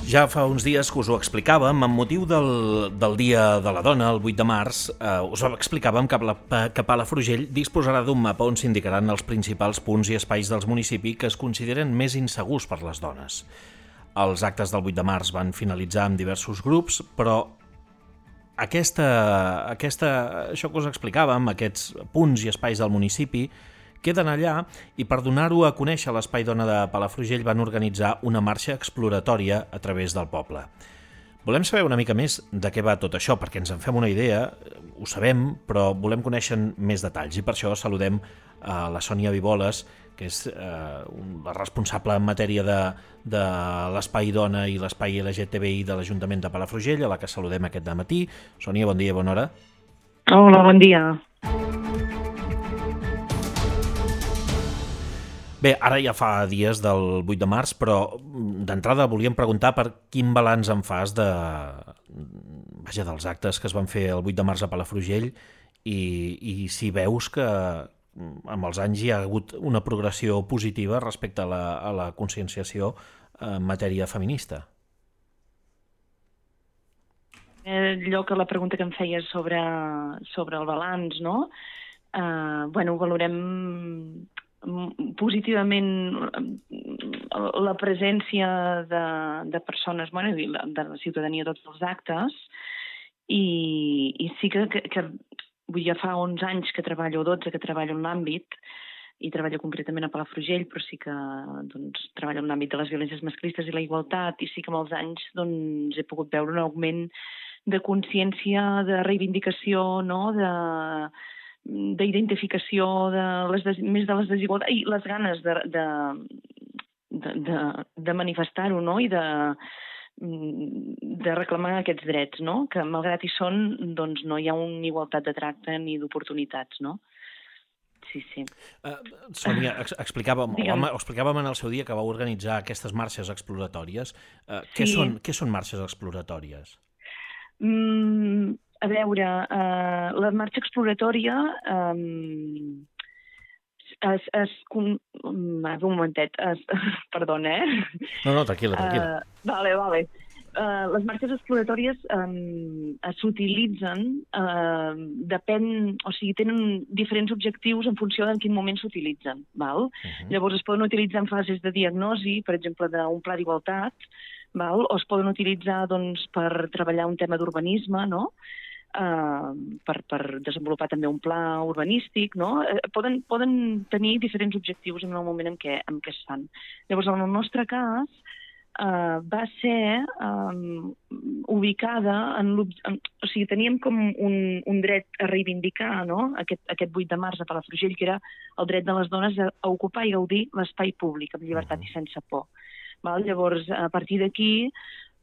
Ja fa uns dies que us ho explicàvem, amb motiu del Dia de la Dona, el 8 de març, us ho explicàvem que Palafrugell disposarà d'un mapa on s'indicaran els principals punts i espais dels municipis que es consideren més insegurs per les dones. Els actes del 8 de març van finalitzar amb diversos grups, però això que us explicàvem, aquests punts i espais del municipi, queden allà i per donar-ho a conèixer a l'Espai Dona de Palafrugell van organitzar una marxa exploratòria a través del poble. Volem saber una mica més de què va tot això, perquè ens en fem una idea, ho sabem, però volem conèixer més detalls i per això saludem a la Sònia Viboles, que és la responsable en matèria de l'Espai Dona i l'Espai LGTBI de l'Ajuntament de Palafrugell, a la que saludem aquest dematí. Sònia, bon dia i bona hora. Hola, bon dia. Bé, ara ja fa dies del 8 de març, però d'entrada volíem preguntar per quin balanç en fas dels actes que es van fer el 8 de març a Palafrugell i si veus que amb els anys hi ha hagut una progressió positiva respecte a la conscienciació en matèria feminista. La pregunta que em feies sobre el balanç, no? Ho valorem positivament la presència de persones, de la ciutadania a tots els actes i sí que ja fa 11 anys que treballo, 12 que treballo en l'àmbit i treballo concretament a Palafrugell, però sí que treballo en l'àmbit de les violències masclistes i la igualtat i sí que amb els anys he pogut veure un augment de consciència, de reivindicació, no?, d'identificació més de les desigualtats i les ganes de manifestar-ho, no?, i de reclamar aquests drets, no?, que malgrat hi són, no hi ha una igualtat de tracte ni d'oportunitats, no? Sí. Sònia, explicàvem en el seu dia que vau organitzar aquestes marxes exploratòries. Què són marxes exploratòries? A veure, la marxa exploratòria un momentet, perdona, No, tranquil·la. Vale. Les marxes exploratòries s'utilitzen, tenen diferents objectius en funció de en quin moment s'utilitzen, val? Llavors es poden utilitzar en fases de diagnosi, per exemple, d'un pla d'igualtat, val? O es poden utilitzar per treballar un tema d'urbanisme, no?, per desenvolupar també un pla urbanístic, no? Poden tenir diferents objectius en el moment en què es fan. Llavors, en el nostre cas, va ser ubicada teníem com un dret a reivindicar, no?, aquest 8 de març a Palafrugell, que era el dret de les dones a ocupar i gaudir l'espai públic amb llibertat i sense por. Llavors, a partir d'aquí,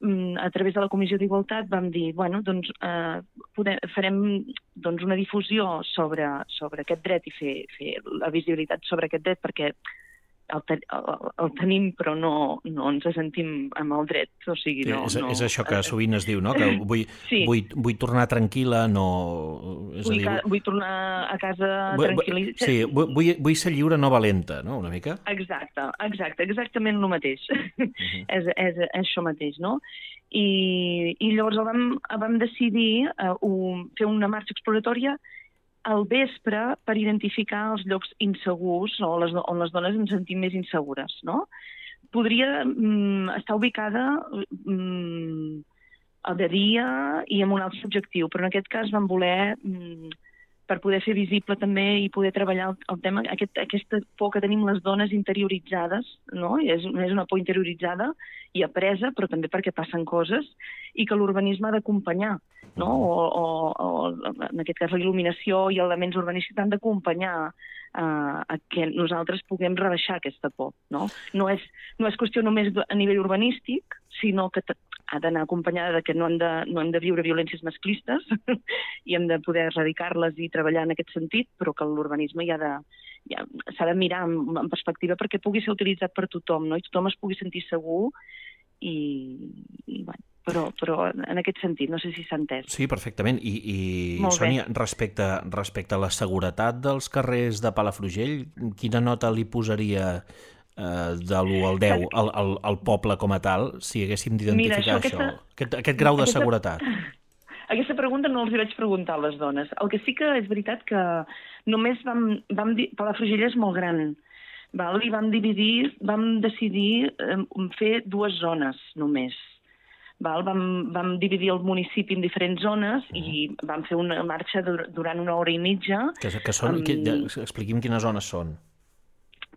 a través de la Comissió d'Igualtat vam dir, farem una difusió sobre aquest dret i fer la visibilitat sobre aquest dret perquè el tenim però no ens sentim amb el dret, o sigui, no... És això que sovint es diu, no?, que vull tornar tranquil·la, no... Vull tornar a casa tranquil·la... Sí, vull ser lliure, no valenta, no?, una mica? Exacte, exactament el mateix. És això mateix, no? I llavors vam decidir fer una marxa exploratòria al vespre per identificar els llocs insegurs on les dones ens sentim més insegures, no? Podria estar ubicada de dia i amb un altre objectiu, però en aquest cas vam voler, per poder fer visible també i poder treballar el tema, aquesta por que tenim les dones interioritzades, no? És una por interioritzada i apresa, però també perquè passen coses i que l'urbanisme ha d'acompanyar, no? O en aquest cas la il·luminació i elements urbanístics han d'acompanyar a que nosaltres puguem rebaixar aquesta por, no? No és qüestió només a nivell urbanístic, sinó que ha d'anar acompanyada que no hem de viure violències masclistes i hem de poder erradicar-les i treballar en aquest sentit, però que l'urbanisme s'ha de mirar en perspectiva perquè pugui ser utilitzat per tothom, no? I tothom es pugui sentir segur però en aquest sentit, no sé si s'ha entès. Sí, perfectament. I Sònia, respecte a la seguretat dels carrers de Palafrugell, quina nota li posaria de l'1 al 10 al poble com a tal, si haguéssim d'identificar això, aquest grau de seguretat? Aquesta pregunta no els hi vaig preguntar a les dones. El que sí que és veritat que només vam dir... Palafrugell és molt gran, val? I vam decidir fer 2 zones només. Val? Vam dividir el municipi en diferents zones i vam fer una marxa durant 1 hora i mitja. Que són, expliqui'm quines zones són.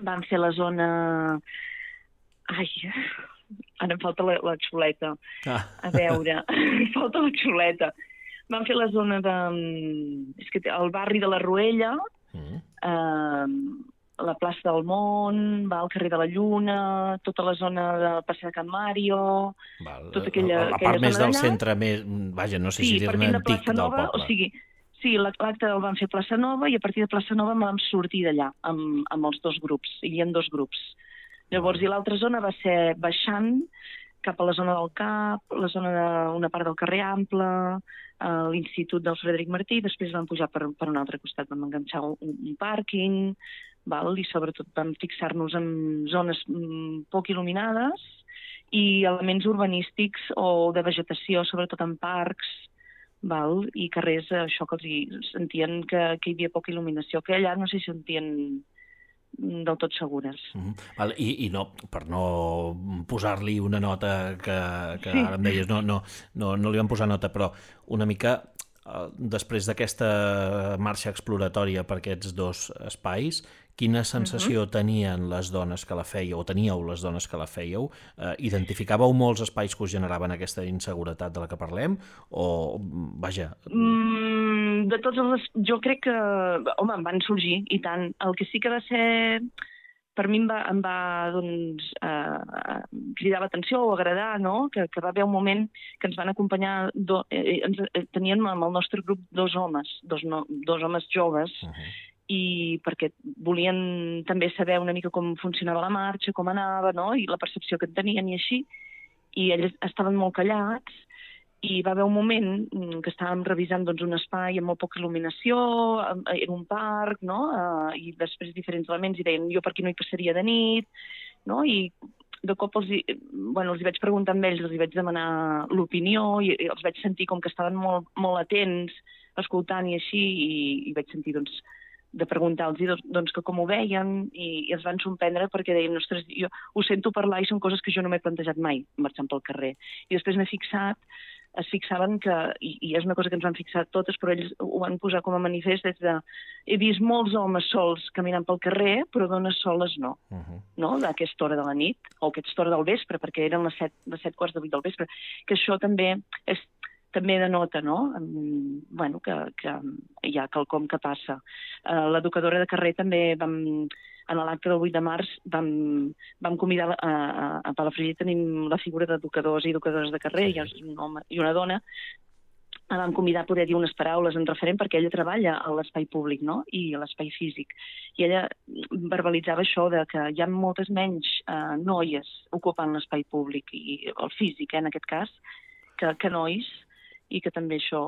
Vam fer la zona... Ai, ara em falta la xuleta. A veure, em falta la xuleta. Vam fer la zona de... És que el barri de la Ruella, la plaça del Mont, el carrer de la Lluna, tota la zona de Passeig de Can Mario... Tota aquella part més del centre, vaja, no sé si dir-ne antic del poble. O sigui, sí, l'acte el vam fer a Plaça Nova i a partir de Plaça Nova vam sortir d'allà amb els 2 grups. Hi havia 2 grups. Llavors, i l'altra zona va ser baixant cap a la zona del CAP, la zona d'una part del carrer Ample, l'Institut del Frederic Martí, i després vam pujar per un altre costat, vam enganxar un pàrquing, i sobretot vam fixar-nos en zones poc il·luminades i elements urbanístics o de vegetació, sobretot en parcs, i carrers, això que els sentien que hi havia poca il·luminació, que allà no s'hi sentien del tot segures. I no, per no posar-li una nota que ara em deies, no li vam posar nota, però una mica després d'aquesta marxa exploratòria per aquests 2 espais, quina sensació tenien les dones que la fèieu, o teníeu les dones que la fèieu? Identificàveu molts espais que us generaven aquesta inseguretat de la que parlem? O, vaja... De tots els... Jo crec que... Home, em van sorgir, i tant. El que sí que va ser... Per mi em va doncs, cridar l'atenció o agradar, no? Que va haver un moment que ens van acompanyar... Teníem amb el nostre grup 2 homes, dos homes joves, i perquè volien també saber una mica com funcionava la marxa, com anava, no? I la percepció que en tenien i així. I ells estaven molt callats i va haver un moment que estàvem revisant doncs, un espai amb molt poca il·luminació, era un parc, no? I després diferents elements i deien jo per aquí no hi passaria de nit, no? I de cop els hi vaig preguntar amb ells, els hi vaig demanar l'opinió i els vaig sentir com que estaven molt, molt atents, escoltant i així, i vaig sentir doncs, de preguntar-los doncs, que com ho veien i els van sorprendre perquè deien, ostres, jo ho sento parlar i són coses que jo no m'he plantejat mai marxant pel carrer. I després es fixaven que, i és una cosa que ens van fixar totes, però ells ho van posar com a manifest des de he vist molts homes sols caminant pel carrer, però dones soles no. No? A aquesta hora de la nit, o a aquesta hora del vespre, perquè eren les 7:15 del vespre, que això també denota, no? Bueno, que hi ha quelcom que passa. L'educadora de carrer també en l'acte del 8 de març vam convidar a Palafrugell, tenim la figura d'educadors i educadores de carrer, hi ha un home i una dona, la vam convidar a poder dir unes paraules en referent perquè ella treballa a l'espai públic, no? I a l'espai físic. I ella verbalitzava això de que hi ha moltes menys noies ocupant l'espai públic, i el físic, en aquest cas, que nois, i que també això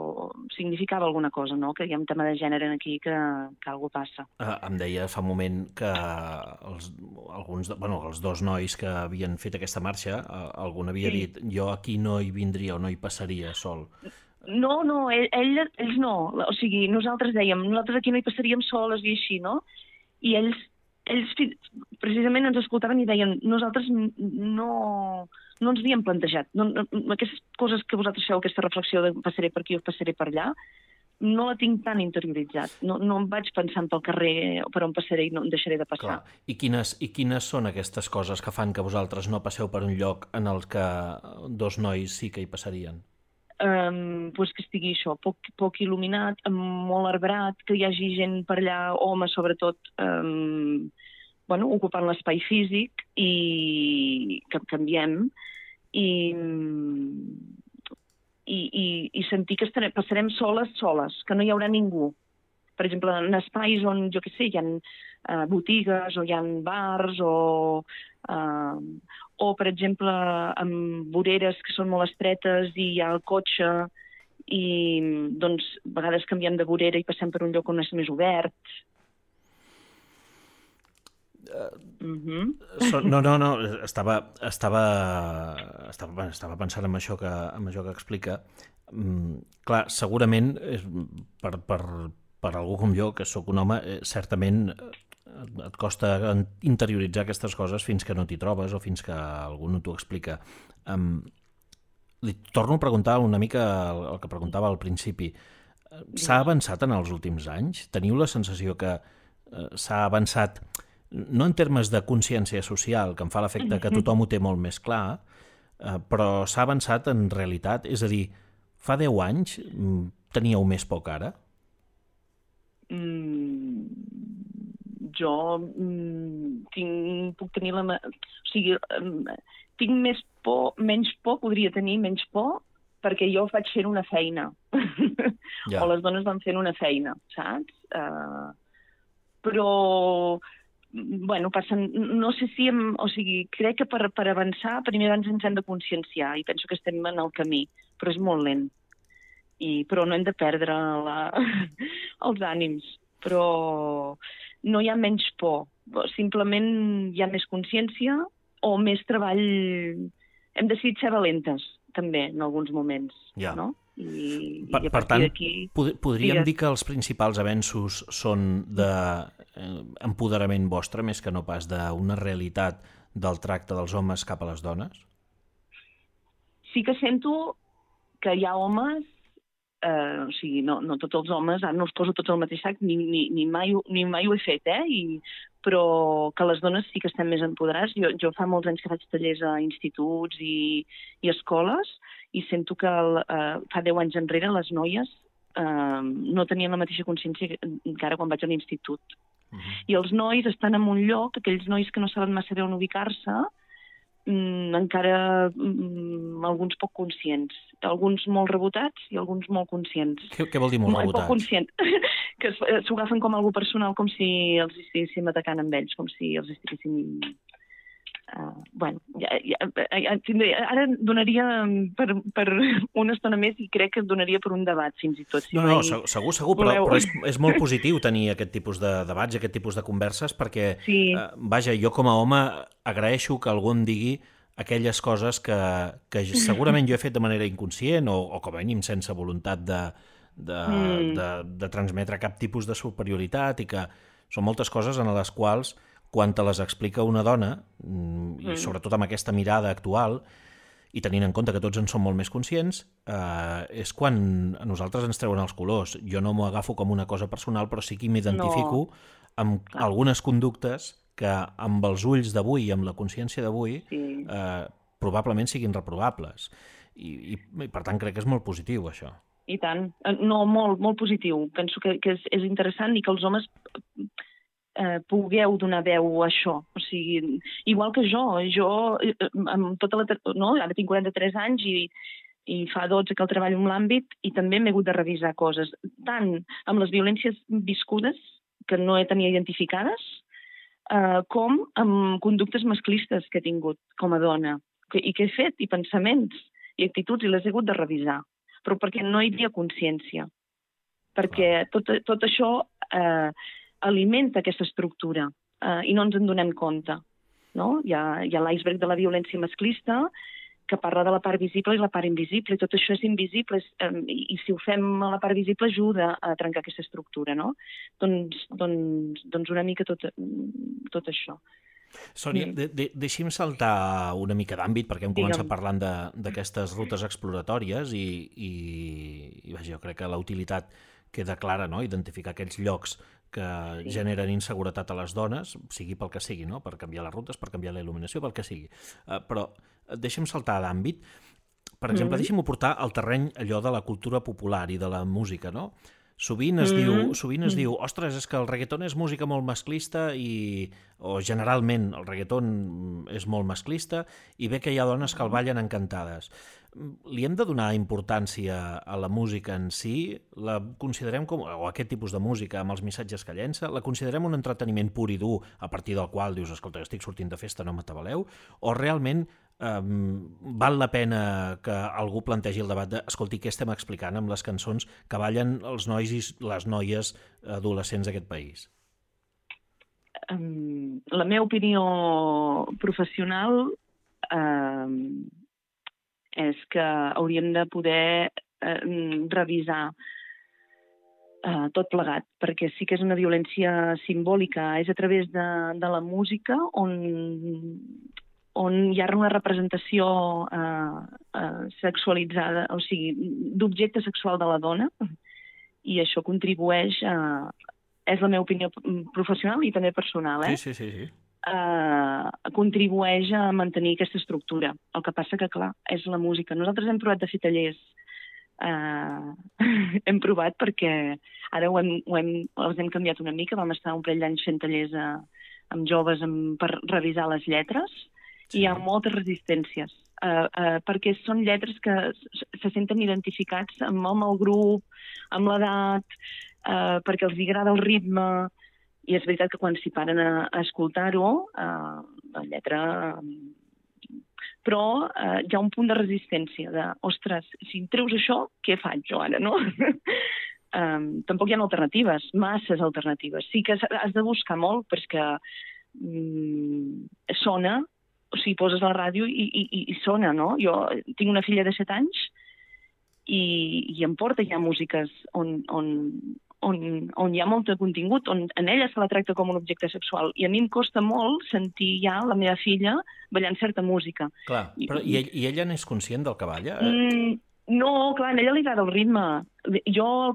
significava alguna cosa, no? Que hi ha un tema de gènere aquí que alguna cosa passa. Em deia fa un moment que els 2 nois que havien fet aquesta marxa, algun havia dit jo aquí no hi vindria o no hi passaria sol. No, ells no. O sigui, nosaltres dèiem, nosaltres aquí no hi passaríem soles i així, no? I ells precisament ens escoltaven i deien nosaltres no ens havíem plantejat. Aquestes coses que vosaltres feu, aquesta reflexió de passaré per aquí o passaré per allà, no la tinc tan interioritzat. No em vaig pensant pel carrer per on passaré i no em deixaré de passar. Clar. I quines són aquestes coses que fan que vosaltres no passeu per un lloc en el que 2 nois sí que hi passarien? Pues que estigui això, poc il·luminat, molt arbrat, que hi hagi gent per allà, homes sobretot, ocupant l'espai físic i que canviem i sentir que passarem soles, que no hi haurà ningú. Per exemple, en espais on, jo què sé, hi ha botigues o hi ha bars o, per exemple, amb voreres que són molt estretes i hi ha el cotxe i, doncs, a vegades canviem de vorera i passem per un lloc on és més obert. No, estava pensant en això que explica. Clar, segurament per algú com jo, que sóc un home, certament et costa interioritzar aquestes coses fins que no t'hi trobes o fins que algú no t'ho explica. Li torno a preguntar una mica el que preguntava al principi. S'ha avançat en els últims anys? Teniu la sensació que s'ha avançat, no en termes de consciència social, que em fa l'efecte que tothom ho té molt més clar, però s'ha avançat en realitat? És a dir, fa 10 anys teníeu més por que ara? Jo puc tenir o sigui, tinc menys por, podria tenir menys por, perquè jo vaig fent una feina. O les dones van fent una feina, saps? Però, bueno, passen, no sé si... O sigui, crec que per avançar, primer ens hem de conscienciar, i penso que estem en el camí, però és molt lent. Però no hem de perdre els ànims. Però no hi ha menys por, simplement hi ha més consciència o més treball. Hem decidit ser valentes, també, en alguns moments, no? Per tant, podríem dir que els principals avenços són d'empoderament vostre més que no pas d'una realitat del tracte dels homes cap a les dones? Sí que sento que hi ha homes, o sigui, no tots els homes, no els poso tots al mateix sac, ni mai ho he fet, però que les dones sí que estem més empoderades. Jo fa molts anys que faig tallers a instituts i escoles, i sento que fa 10 anys enrere les noies no tenien la mateixa consciència que ara quan vaig a l'institut. I els nois estan en un lloc, aquells nois que no saben massa bé on ubicar-se, encara alguns poc conscients. Alguns molt rebotats i alguns molt conscients. Què vol dir molt rebotats? Poc conscient. Que s'ho agafen com algo personal, com si els estiguéssim atacant amb ells, com si els estiguéssim... Bueno, ara donaria per una estona més i crec que donaria per un debat, fins i tot. No, segur, però és molt positiu tenir aquest tipus de debats, aquest tipus de converses, perquè, vaja, jo com a home agraeixo que algú em digui aquelles coses que segurament jo he fet de manera inconscient o com a mínim sense voluntat de transmetre cap tipus de superioritat, i que són moltes coses en les quals quan te les explica una dona, i sobretot amb aquesta mirada actual, i tenint en compte que tots en som molt més conscients, és quan a nosaltres ens treuen els colors. Jo no m'ho agafo com una cosa personal, però sí que m'identifico amb algunes conductes que amb els ulls d'avui i amb la consciència d'avui probablement siguin reprovables. I per tant crec que és molt positiu, això. I tant. No, molt positiu. Penso que és interessant i que els homes pugueu donar veu a això. O sigui, igual que jo amb tota ara tinc 43 anys i fa 12 que el treballo en l'àmbit i també m'he hagut de revisar coses, tant amb les violències viscudes que no he tenit identificades, com amb conductes masclistes que he tingut com a dona i que he fet, i pensaments i actituds, i les he hagut de revisar, però perquè no hi havia consciència, perquè tot això alimenta aquesta estructura i no ens en donem compte, no? Hi ha l'iceberg de la violència masclista que parla de la part visible i la part invisible, i tot això és invisible, i si ho fem a la part visible ajuda a trencar aquesta estructura, no? Doncs una mica tot això. Sònia, deixi'm saltar una mica d'àmbit, perquè hem començat parlant d'aquestes rutes exploratòries i jo crec que la utilitat queda clara, no? Identificar aquells llocs que generen inseguretat a les dones, sigui pel que sigui, no? Per canviar les rutes, per canviar la il·luminació, pel que sigui. Però deixa'm saltar d'àmbit. Per exemple, deixa'm portar al terreny allò de la cultura popular i de la música, no? Sovint es diu, ostres, és que el reggaeton és música molt masclista o generalment el reggaeton és molt masclista i bé que hi ha dones que el ballen encantades. Li hem de donar importància a la música en si? La considerem o aquest tipus de música amb els missatges que llença, la considerem un entreteniment pur i dur a partir del qual dius, escolta, estic sortint de festa, no m'atabaleu? O realment val la pena que algú plantegi el debat de, escolti, què estem explicant amb les cançons que ballen els nois i les noies adolescents d'aquest país? la meva opinió professional és que hauríem de poder revisar tot plegat, perquè sí que és una violència simbòlica, és a través de la música on hi ha una representació sexualitzada, o sigui, d'objecte sexual de la dona, i això contribueix és la meva opinió professional i també personal, Sí. Contribueix a mantenir aquesta estructura. El que passa que, clar, és la música. Nosaltres hem provat de fer tallers, hem provat perquè ara els hem canviat una mica, vam estar un parell d'anys fent tallers amb joves per revisar les lletres, i hi ha moltes resistències, perquè són lletres que se senten identificats amb el grup, amb l'edat, perquè els agrada el ritme, i és veritat que quan s'hi paren a escoltar-ho, la lletra... Però hi ha un punt de resistència, ostres, si em treus això, què faig jo ara, no? Tampoc hi ha alternatives, masses alternatives. Sí que has de buscar molt, perquè sona, o sigui, poses la ràdio i sona, no? Jo tinc una filla de 7 anys i em porta ja músiques on hi ha molt de contingut, on en ella se la tracta com un objecte sexual. I a mi em costa molt sentir ja la meva filla ballant certa música. Clar, però i ella n'és conscient del que balla? No, clar, a ella li agrada el ritme. Jo el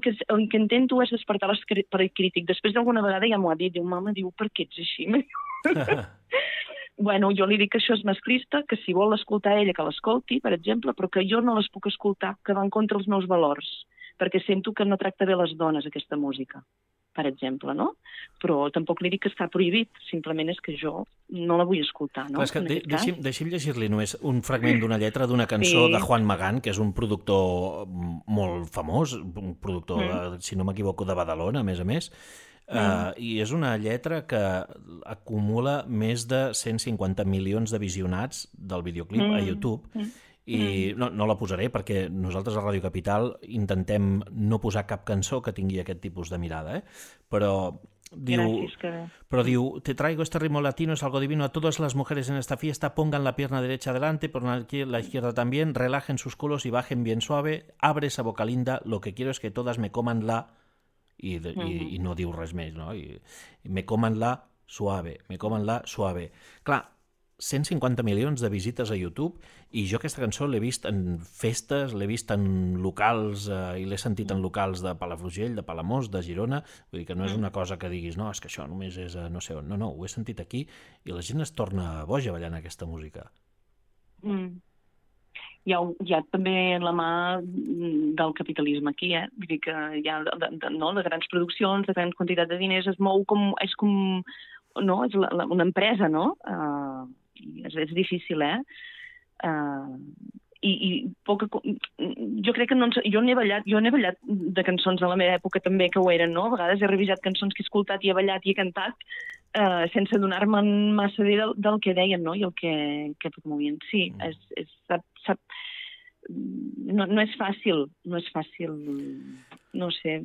que intento és despertar l'esperit crític. Després d'alguna vegada ja m'ho ha dit, diu, mama, per què ets així? Bueno, jo li dic que això és masclista, que si vol escoltar ella, que l'escolti, per exemple, però que jo no les puc escoltar, que van contra els meus valors, perquè sento que no tracta bé les dones, aquesta música, per exemple, no? Però tampoc li dic que està prohibit, simplement és que jo no la vull escoltar, no? Clar, és que deixi'm llegir-li només un fragment d'una lletra d'una cançó de Juan Magán, que és un productor molt famós, un productor, si no m'equivoco, de Badalona, a més, i és una lletra que acumula més de 150 milions de visionats del videoclip a YouTube, i no la posaré perquè nosaltres a Ràdio Capital intentem no posar cap cançó que tingui aquest tipus de mirada, però diu, te traigo este ritmo latino, es algo divino, a todas las mujeres en esta fiesta pongan la pierna derecha adelante, por la izquierda también, relajen sus culos y bajen bien suave, abre esa boca linda, lo que quiero es que todas me coman la... I no diu res més, no? I me coman la suave. Clar, 150 milions de visites a YouTube, i jo aquesta cançó l'he vist en festes, l'he vist en locals, i l'he sentit en locals de Palafrugell, de Palamós, de Girona, vull dir que no és una cosa que diguis, no, és que això només és no sé on. No, ho he sentit aquí, i la gent es torna boja ballant aquesta música. Hi ha també la mà del capitalisme aquí, vull dir que hi ha de grans produccions, de grans quantitats de diners, es mou és una empresa, no? És difícil, jo crec que jo n'he ballat de cançons a la meva època també que ho eren, no? A vegades he revisat cançons que he escoltat i he ballat i he cantat sense adonar-me massa bé del que deien, no? I el que promovien. Sí, no és fàcil, no sé.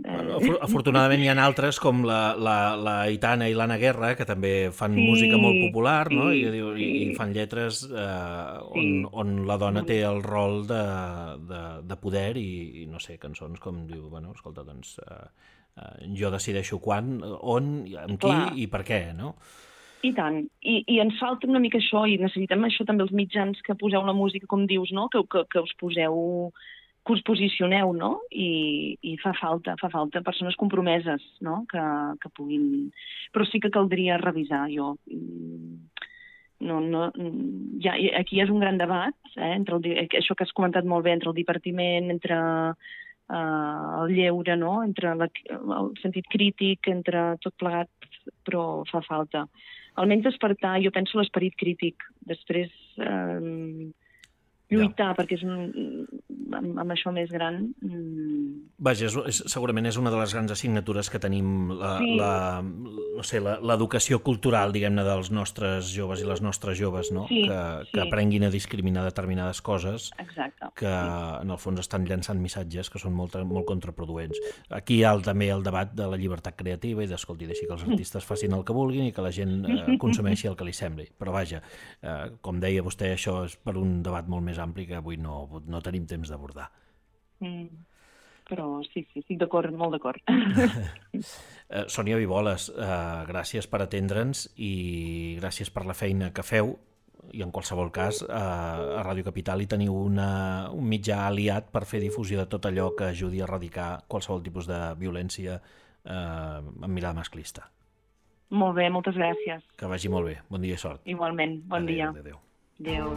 Afortunadament hi ha altres com la Aitana i l'Anna Guerra, que també fan música molt popular, no? I fan lletres on la dona té el rol de poder i no sé, cançons com diu, bueno, escolta, doncs jo decideixo quan, on, amb qui i per què, no? I tant. I ens falta una mica això, i necessitem això també els mitjans que poseu la música, com dius, no? Que us poseu, que us posicioneu, no? I fa falta persones compromeses, no? Que puguin... Però sí que caldria revisar, jo. Aquí és un gran debat, entre això que has comentat molt bé, entre el divertiment, entre el lleure, no? Entre el sentit crític, entre tot plegat, però fa falta. Almenys despertar, jo penso, l'esperit crític. Després lluitar, perquè és amb això més gran. Vaja, segurament és una de les grans assignatures que tenim, no l'educació cultural, diguem-ne, dels nostres joves i les nostres joves, no? Sí, que aprenguin a discriminar determinades coses. Exacte. Que en el fons estan llançant missatges que són molt contraproduents. Aquí hi ha també el debat de la llibertat creativa i d'escolti, deixi que els artistes facin el que vulguin i que la gent consumeixi el que li sembli. Però vaja, com deia vostè, això és per un debat molt més ampli que avui no tenim temps d'abordar. Però sí, estic d'acord, molt d'acord. Sònia Viboles, gràcies per atendre'ns i gràcies per la feina que feu, i en qualsevol cas a Ràdio Capital hi teniu un mitjà aliat per fer difusió de tot allò que ajudi a erradicar qualsevol tipus de violència amb mirada masclista. Molt bé, moltes gràcies. Que vagi molt bé. Bon dia i sort. Igualment, bon dia. Adéu. Adéu.